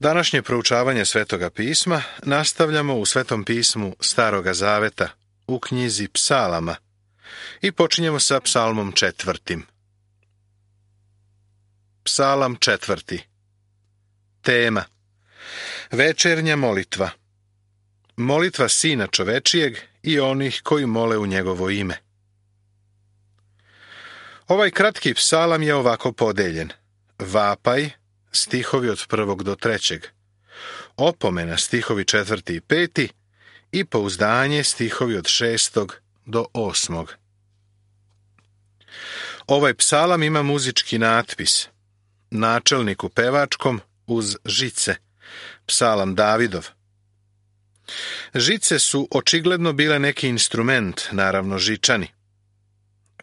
Današnje proučavanje Svetoga pisma nastavljamo u Svetom pismu Staroga zaveta, u knjizi Psalama, i počinjemo sa Psalmom 4. Psalam 4. Tema: Večernja molitva. Molitva Sina čovečijeg i onih koji mole u njegovo ime. Ovaj kratki psalam je ovako podeljen: vapaj, stihovi od 1. do 3. Opomena, stihovi 4. i 5. i pouzdanje, stihovi od 6. do 8. Ovaj psalam ima muzički natpis: načelnik u pevačkom uz žice, psalam Davidov. Žice su očigledno bile neki instrument, naravno žičani.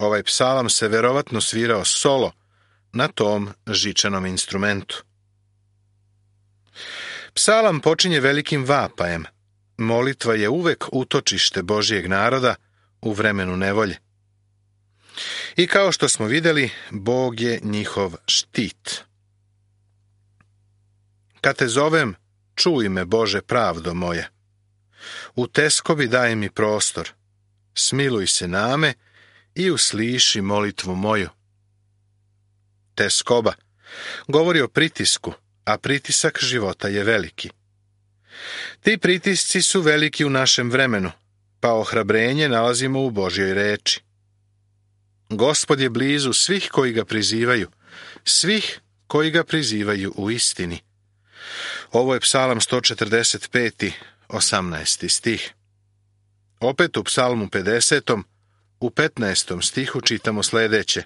Ovaj psalam se verovatno svirao solo na tom žičanom instrumentu. Psalam počinje velikim vapajem. Molitva je uvek utočište Božijeg naroda u vremenu nevolje. I kao što smo vidjeli, Bog je njihov štit. Kad te zovem, čuj me, Bože, pravdo moja. U teskobi daj mi prostor. Smiluj se name i usliši molitvu moju. Teskoba govori o pritisku, a pritisak života je veliki. Ti pritisci su veliki u našem vremenu, pa ohrabrenje nalazimo u Božjoj reči. Gospod je blizu svih koji ga prizivaju, svih koji ga prizivaju u istini. Ovo je Psalam 145. 18. stih. Opet u Psalmu 50. u 15. stihu čitamo sljedeće: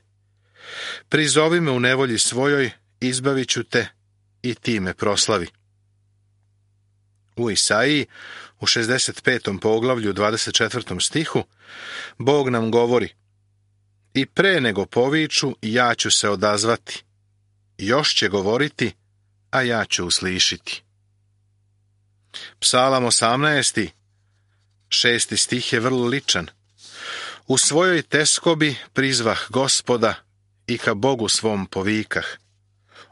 prizovi me u nevolji svojoj, izbavit ću te i ti me proslavi. U Isaiji, u 65. poglavlju 24. stihu, Bog nam govori: i pre nego poviču, ja ću se odazvati. Još će govoriti, a ja ću uslišiti. Psalam 18. 6. stih je vrlo ličan. U svojoj teskobi prizvah Gospoda i ka Bogu svom povikah.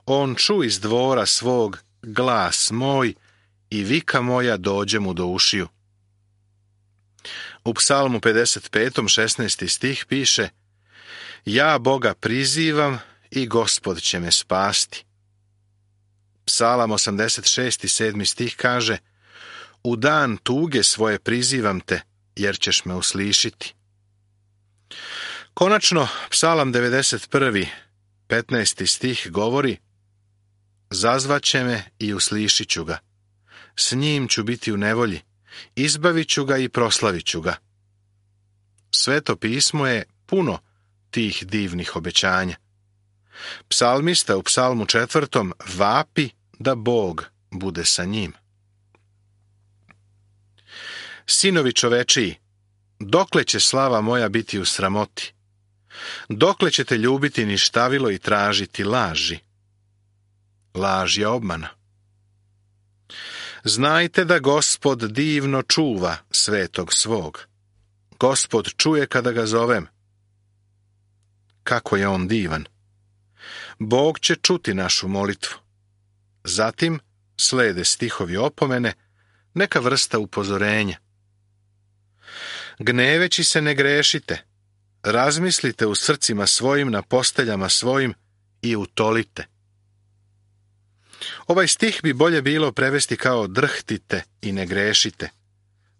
On ču iz dvora svog glas moj i vika moja dođe mu do ušiju. U Psalmu 55. 16. stih piše: ja Boga prizivam i Gospod će me spasti. Psalam 86. 7. stih kaže: u dan tuge svoje prizivam te, jer ćeš me uslišiti. Konačno, Psalam 91. 15. stih govori: zazvaće me i uslišit ću ga. S njim ću biti u nevolji, izbavit ću ga i proslavit ću ga. Sveto pismo je puno tih divnih obećanja. Psalmista u Psalmu 4. vapi da Bog bude sa njim. Sinovi čovečiji, dokle će slava moja biti u sramoti? Dokle ćete ljubiti ništavilo i tražiti laži? Laž je obmana. Znajte da Gospod divno čuva svetog svog. Gospod čuje kada ga zovem. Kako je on divan! Bog će čuti našu molitvu. Zatim slede stihovi opomene, neka vrsta upozorenja. Gneveći se ne grešite, razmislite u srcima svojim, na posteljama svojim i utolite. Ovaj stih bi bolje bilo prevesti kao drhtite i ne grešite.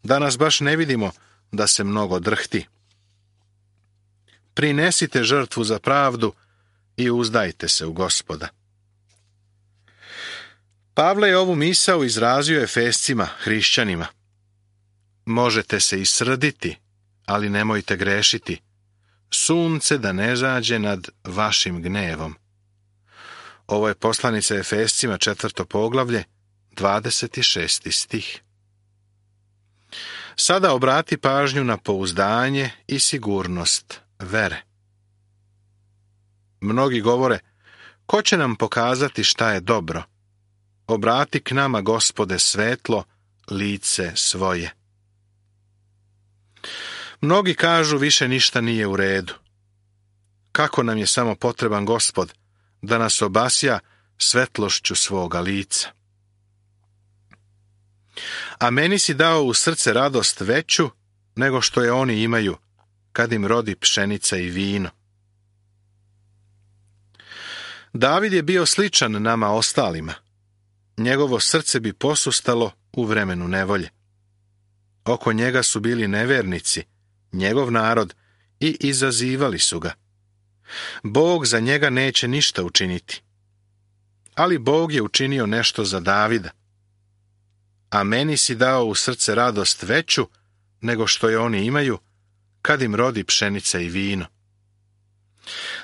Danas baš ne vidimo da se mnogo drhti. Prinesite žrtvu za pravdu i uzdajte se u Gospoda. Pavle je ovu misao izrazio Efescima, hrišćanima. Možete se i srditi, ali nemojte grešiti. Sunce da ne zađe nad vašim gnevom. Ovo je poslanica Efescima 4. poglavlje, 26. stih. Sada obrati pažnju na pouzdanje i sigurnost vere. Mnogi govore: ko će nam pokazati šta je dobro? Obrati k nama, Gospode, svetlo, lice svoje. Mnogi kažu: više ništa nije u redu. Kako nam je samo potreban Gospod da nas obasja svetlošću svoga lica. A meni si dao u srce radost veću nego što je oni imaju, kad im rodi pšenica i vino. David je bio sličan nama ostalima. Njegovo srce bi posustalo u vremenu nevolje. Oko njega su bili nevernici, njegov narod, i izazivali su ga. Bog za njega neće ništa učiniti. Ali Bog je učinio nešto za Davida. A meni si dao u srce radost veću nego što je oni imaju, kad im rodi pšenica i vino.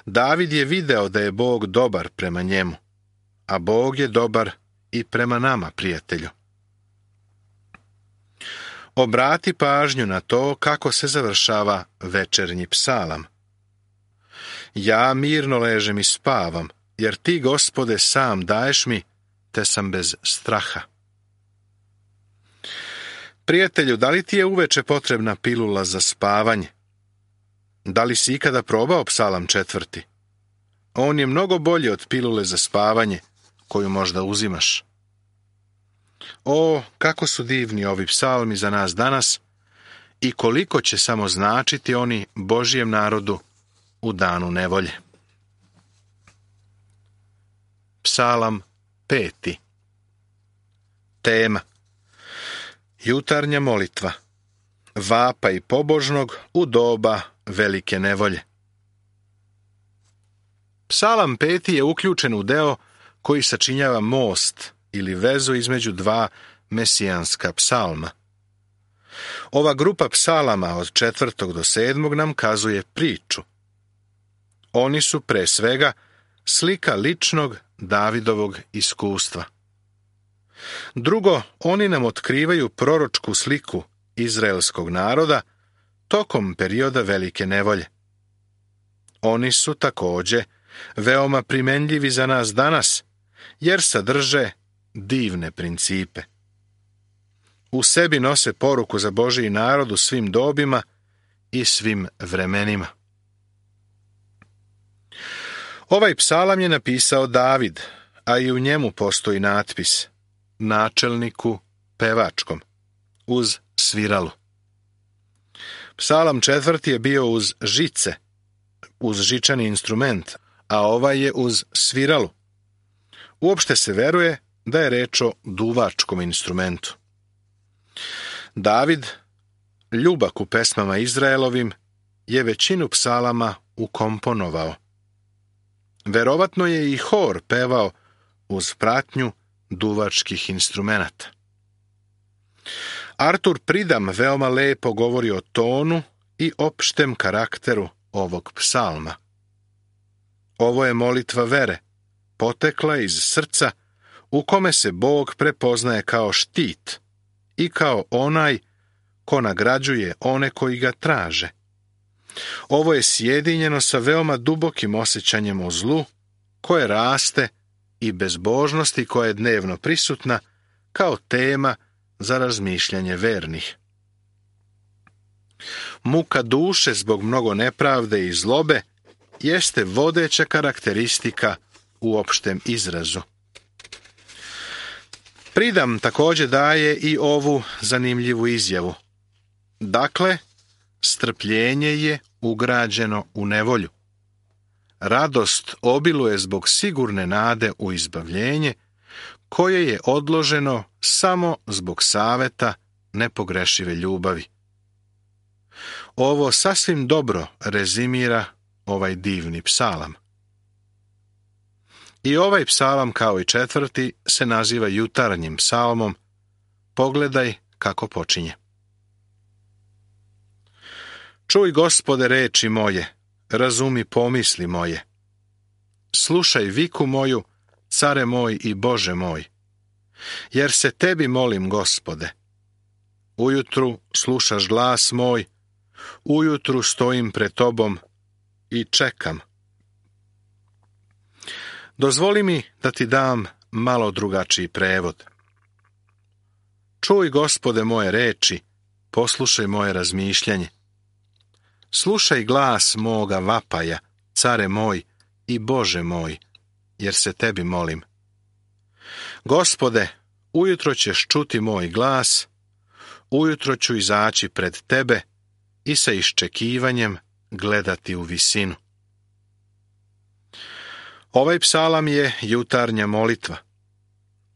David je video da je Bog dobar prema njemu, a Bog je dobar i prema nama, prijatelju. Obrati pažnju na to kako se završava večernji psalam. Ja mirno ležem i spavam, jer ti, Gospode, sam daješ mi, te sam bez straha. Prijatelju, da li ti je uveče potrebna pilula za spavanje? Da li si ikada probao psalam 4? On je mnogo bolji od pilule za spavanje, koju možda uzimaš. O, kako su divni ovi psalmi za nas danas i koliko će samo značiti oni Božjem narodu u danu nevolje. Psalam 5. Tema: jutarnja molitva. Vapaj pobožnog u doba velike nevolje. Psalam 5. je uključen u deo koji sačinjava most ili vezu između dva mesijanska psalma. Ova grupa psalama od 4. do 7. nam kazuje priču. Oni su pre svega slika ličnog Davidovog iskustva. Drugo, oni nam otkrivaju proročku sliku izraelskog naroda tokom perioda velike nevolje. Oni su također veoma primenljivi za nas danas, jer sadrže divne principe. U sebi nose poruku za Božji narod u svim dobima i svim vremenima. Ovaj psalam je napisao David, a i u njemu postoji natpis: načelniku pevačkom, uz sviralu. Psalam 4. je bio uz žice, uz žičani instrument, a ovaj je uz sviralu. Uopšte se veruje da je reč o duvačkom instrumentu. David, ljubak u pesmama Izraelovim, je većinu psalama ukomponovao. Verovatno je i hor pevao uz pratnju duvačkih instrumenata. Artur Pridam veoma lepo govori o tonu i opštem karakteru ovog psalma. Ovo je molitva vere, potekla iz srca u kome se Bog prepoznaje kao štit i kao onaj ko nagrađuje one koji ga traže. Ovo je sjedinjeno sa veoma dubokim osjećanjem o zlu, koje raste, i bezbožnosti koja je dnevno prisutna kao tema za razmišljanje vernih. Muka duše zbog mnogo nepravde i zlobe jeste vodeća karakteristika u opštem izrazu. Pridam također daje i ovu zanimljivu izjavu. Dakle, strpljenje je ugrađeno u nevolju. Radost obiluje zbog sigurne nade u izbavljenje, koje je odloženo samo zbog saveta nepogrešive ljubavi. Ovo sasvim dobro rezimira ovaj divni psalam. I ovaj psalam, kao i 4. se naziva jutarnjim psalmom. Pogledaj kako počinje. Čuj, Gospode, reči moje, razumi pomisli moje. Slušaj viku moju, care moj i Bože moj. Jer se tebi molim, Gospode. Ujutru slušaš glas moj, ujutru stojim pred tobom i čekam. Dozvoli mi da ti dam malo drugačiji prevod. Čuj, Gospode, moje reči, poslušaj moje razmišljanje. Slušaj glas moga vapaja, care moj i Bože moj, jer se tebi molim. Gospode, ujutro ćeš čuti moj glas, ujutro ću izaći pred tebe i sa iščekivanjem gledati u visinu. Ovaj psalam je jutarnja molitva.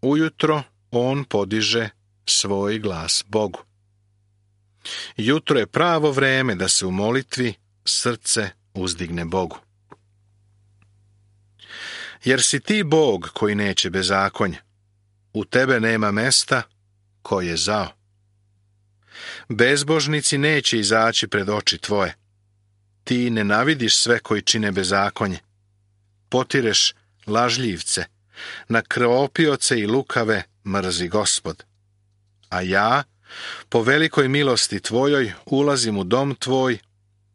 Ujutro on podiže svoj glas Bogu. Jutro je pravo vreme da se u molitvi srce uzdigne Bogu. Jer si ti Bog koji neće bezakonje. U tebe nema mesta ko je zao. Bezbožnici neće izaći pred oči tvoje. Ti nenavidiš sve koji čine bezakonje. Potireš lažljivce, na krvopioce i lukave mrzi Gospod. A ja, po velikoj milosti tvojoj, ulazim u dom tvoj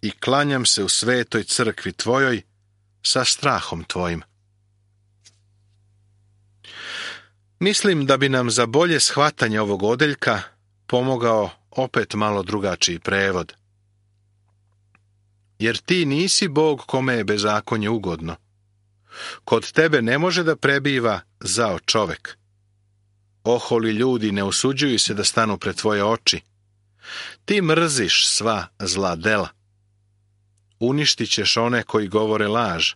i klanjam se u svetoj crkvi tvojoj sa strahom tvojim. Mislim da bi nam za bolje shvatanje ovog odeljka pomogao opet malo drugačiji prevod. Jer ti nisi Bog kome je bezakonje ugodno. Kod tebe ne može da prebiva zao čovek. Oholi ljudi ne usuđuju se da stanu pred tvoje oči. Ti mrziš sva zla dela. Uništit ćeš one koji govore laž.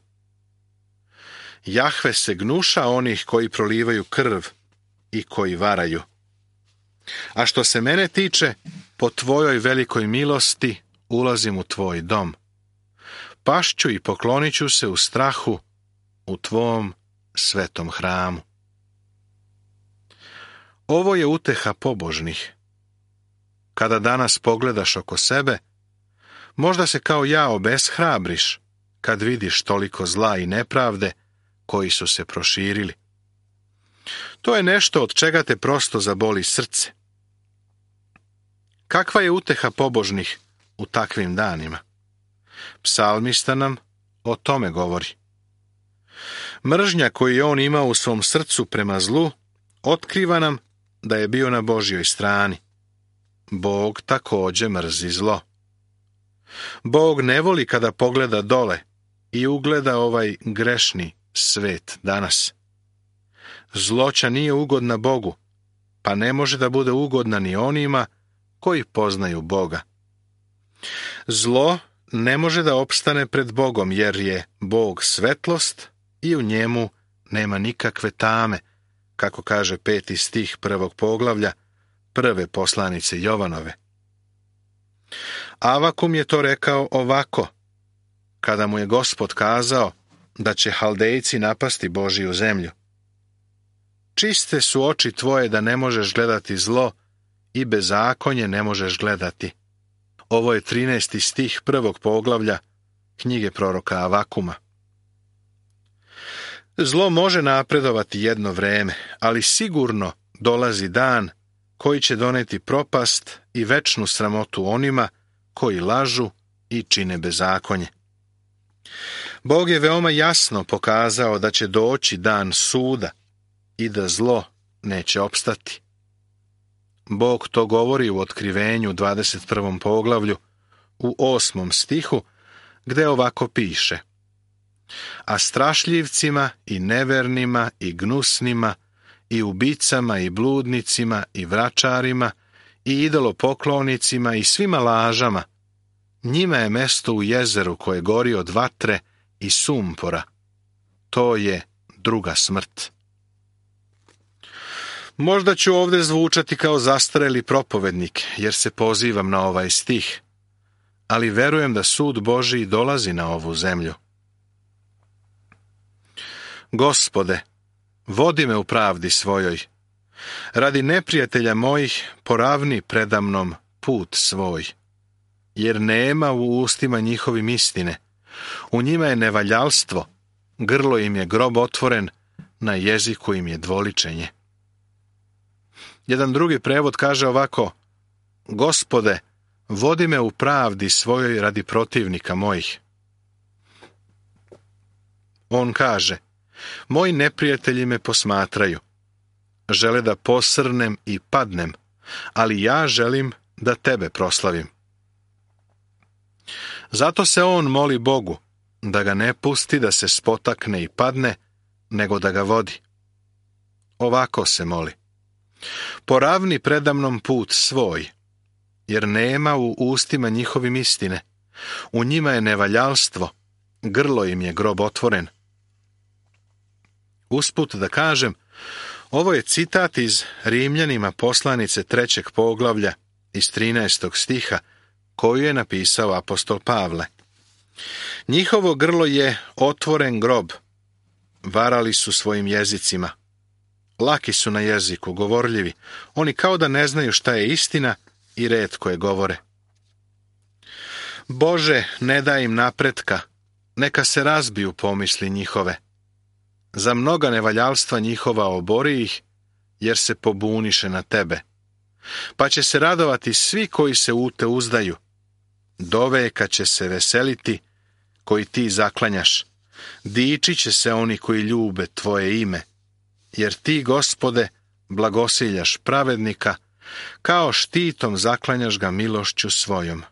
Jahve se gnuša onih koji prolivaju krv i koji varaju. A što se mene tiče, po tvojoj velikoj milosti ulazim u tvoj dom. Pašću i poklonit ću se u strahu u tvom svetom hramu. Ovo je uteha pobožnih. Kada danas pogledaš oko sebe, možda se kao ja obeshrabriš kad vidiš toliko zla i nepravde koji su se proširili. To je nešto od čega te prosto zaboli srce. Kakva je uteha pobožnih u takvim danima? Psalmista nam o tome govori. Mržnja koju je on imao u svom srcu prema zlu otkriva nam da je bio na Božjoj strani. Bog također mrzi zlo. Bog ne voli kada pogleda dole i ugleda ovaj grešni svet danas. Zloća nije ugodna Bogu, pa ne može da bude ugodna ni onima koji poznaju Boga. Zlo ne može da opstane pred Bogom, jer je Bog svetlost i u njemu nema nikakve tame, kako kaže 5. stih 1. poglavlja prve poslanice Jovanove. Avakum je to rekao ovako, kada mu je Gospod kazao da će Haldejci napasti Božiju zemlju. Čiste su oči tvoje da ne možeš gledati zlo i bezakonje ne možeš gledati. Ovo je 13. stih 1. poglavlja knjige proroka Avakuma. Zlo može napredovati jedno vreme, ali sigurno dolazi dan koji će doneti propast i večnu sramotu onima koji lažu i čine bezakonje. Bog je veoma jasno pokazao da će doći dan suda i da zlo neće opstati. Bog to govori u Otkrivenju 21. poglavlju u 8. stihu, gde ovako piše: a strašljivcima i nevernima i gnusnima i ubicama i bludnicima i vračarima i idolopoklonicima i svima lažama, njima je mesto u jezeru koje gori od vatre i sumpora. To je druga smrt. Možda ću ovdje zvučati kao zastareli propovednik, jer se pozivam na ovaj stih, ali verujem da sud Božiji dolazi na ovu zemlju. Gospode, vodi me u pravdi svojoj. Radi neprijatelja mojih poravni predamnom put svoj. Jer nema u ustima njihovim istine. U njima je nevaljalstvo, grlo im je grob otvoren, na jeziku im je dvoličenje. Jedan drugi prevod kaže ovako: Gospode, vodi me u pravdi svojoj radi protivnika mojih. On kaže: moji neprijatelji me posmatraju. Žele da posrnem i padnem, ali ja želim da tebe proslavim. Zato se on moli Bogu, da ga ne pusti da se spotakne i padne, nego da ga vodi. Ovako se moli: Poravni predamnom put svoj, jer nema u ustima njihovim istine. U njima je nevaljalstvo, grlo im je grob otvoren. Usput da kažem, ovo je citat iz Rimljanima poslanice 3. poglavlja iz 13. stiha, koju je napisao apostol Pavle. Njihovo grlo je otvoren grob, varali su svojim jezicima. Laki su na jeziku, govorljivi, oni kao da ne znaju šta je istina i retko je govore. Bože, ne daj im napretka, neka se razbiju pomisli njihove. Za mnoga nevaljalstva njihova obori ih, jer se pobuniše na tebe. Pa će se radovati svi koji se u te uzdaju. Doveka će se veseliti koji ti zaklanjaš. Dičit će se oni koji ljube tvoje ime. Jer ti, Gospode, blagosiljaš pravednika, kao štitom zaklanjaš ga milošću svojom.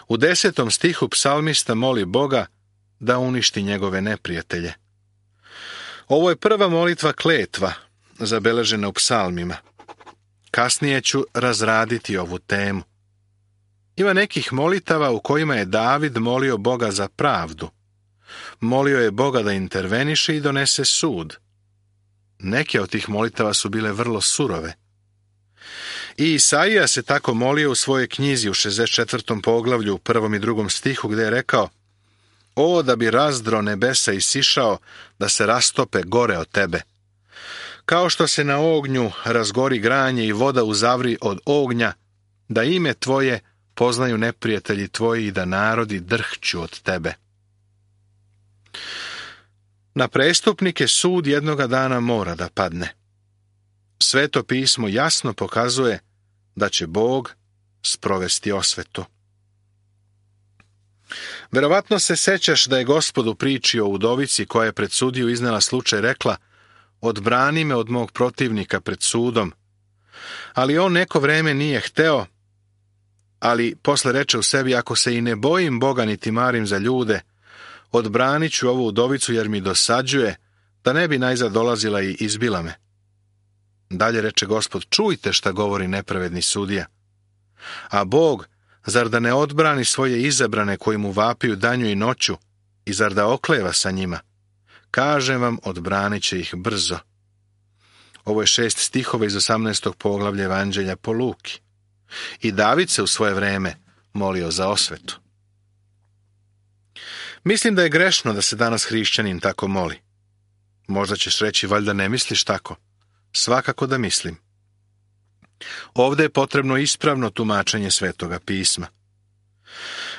U 10. stihu psalmista moli Boga da uništi njegove neprijatelje. Ovo je prva molitva kletva, zabeležena u psalmima. Kasnije ću razraditi ovu temu. Ima nekih molitava u kojima je David molio Boga za pravdu. Molio je Boga da interveniše i donese sud. Neke od tih molitava su bile vrlo surove. I Isaija se tako molio u svojoj knjizi u 64. poglavlju u 1. i 2. stihu, gdje je rekao: O, da bi razdro nebesa isišao, da se rastope gore od tebe. Kao što se na ognju razgori granje i voda uzavri od ognja, da ime tvoje poznaju neprijatelji tvoji i da narodi drhću od tebe. Na prestupnike sud jednoga dana mora da padne. Sveto pismo jasno pokazuje da će Bog sprovesti osvetu. Verovatno se sećaš da je Gospod u priči o udovici koja je pred sudiju iznela slučaj rekla: odbrani me od mog protivnika pred sudom. Ali on neko vreme nije hteo, ali posle reče u sebi: ako se i ne bojim Boga niti marim za ljude, odbranit ću ovu udovicu jer mi dosađuje, da ne bi najzad dolazila i izbila me. Dalje reče Gospod: čujte šta govori nepravedni sudija. A Bog, zar da ne odbrani svoje izabrane koji mu vapiju danju i noću, i zar da okleva sa njima? Kažem vam, odbranit će ih brzo. Ovo je 6 stihova iz 18. poglavlja Evanđelja po Luki. I David se u svoje vreme molio za osvetu. Mislim da je grešno da se danas hrišćanin tako moli. Možda ćeš reći: valjda ne misliš tako. Svakako da mislim. Ovdje je potrebno ispravno tumačenje Svetoga pisma.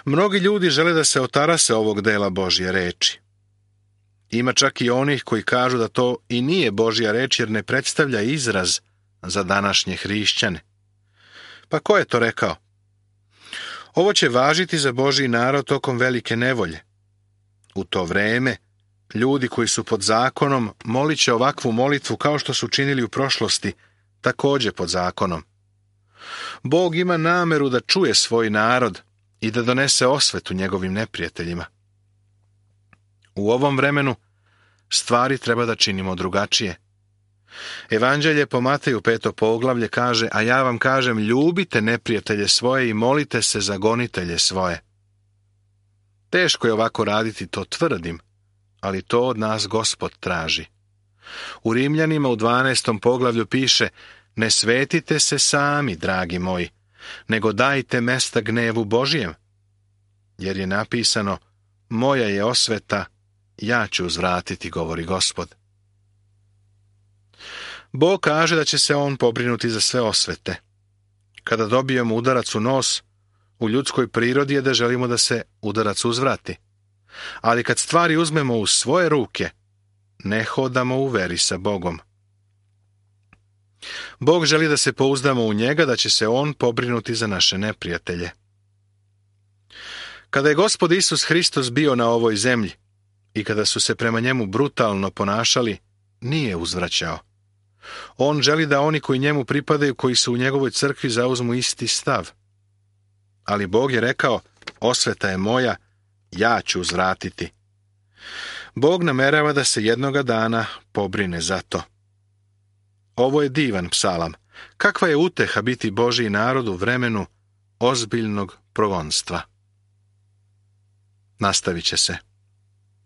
Mnogi ljudi žele da se otarase ovog dela Božje reči. Ima čak i onih koji kažu da to i nije Božja reč jer ne predstavlja izraz za današnje hrišćane. Pa ko je to rekao? Ovo će važiti za Božji narod tokom velike nevolje. U to vreme ljudi koji su pod zakonom molit će ovakvu molitvu kao što su činili u prošlosti, također pod zakonom. Bog ima nameru da čuje svoj narod i da donese osvetu njegovim neprijateljima. U ovom vremenu stvari treba da činimo drugačije. Evanđelje po Mateju 5. poglavlje kaže: a ja vam kažem, ljubite neprijatelje svoje i molite se za gonitelje svoje. Teško je ovako raditi, to tvrdim, ali to od nas Gospod traži. U Rimljanima u 12. poglavlju piše: ne svetite se sami, dragi moji, nego dajte mesta gnevu Božijem. Jer je napisano: moja je osveta, ja ću uzvratiti, govori Gospod. Bog kaže da će se on pobrinuti za sve osvete. Kada dobijemo udarac u nos, u ljudskoj prirodi je da želimo da se udarac uzvrati. Ali kad stvari uzmemo u svoje ruke, ne hodamo u veri sa Bogom. Bog želi da se pouzdamo u njega, da će se on pobrinuti za naše neprijatelje. Kada je Gospod Isus Hristos bio na ovoj zemlji i kada su se prema njemu brutalno ponašali, nije uzvraćao. On želi da oni koji njemu pripadaju, koji su u njegovoj crkvi, zauzmu isti stav. Ali Bog je rekao: osveta je moja, ja ću uzvratiti. Bog namerava da se jednoga dana pobrine za to. Ovo je divan psalam. Kakva je uteha biti Božji narod u vremenu ozbiljnog progonstva. Nastavit će se.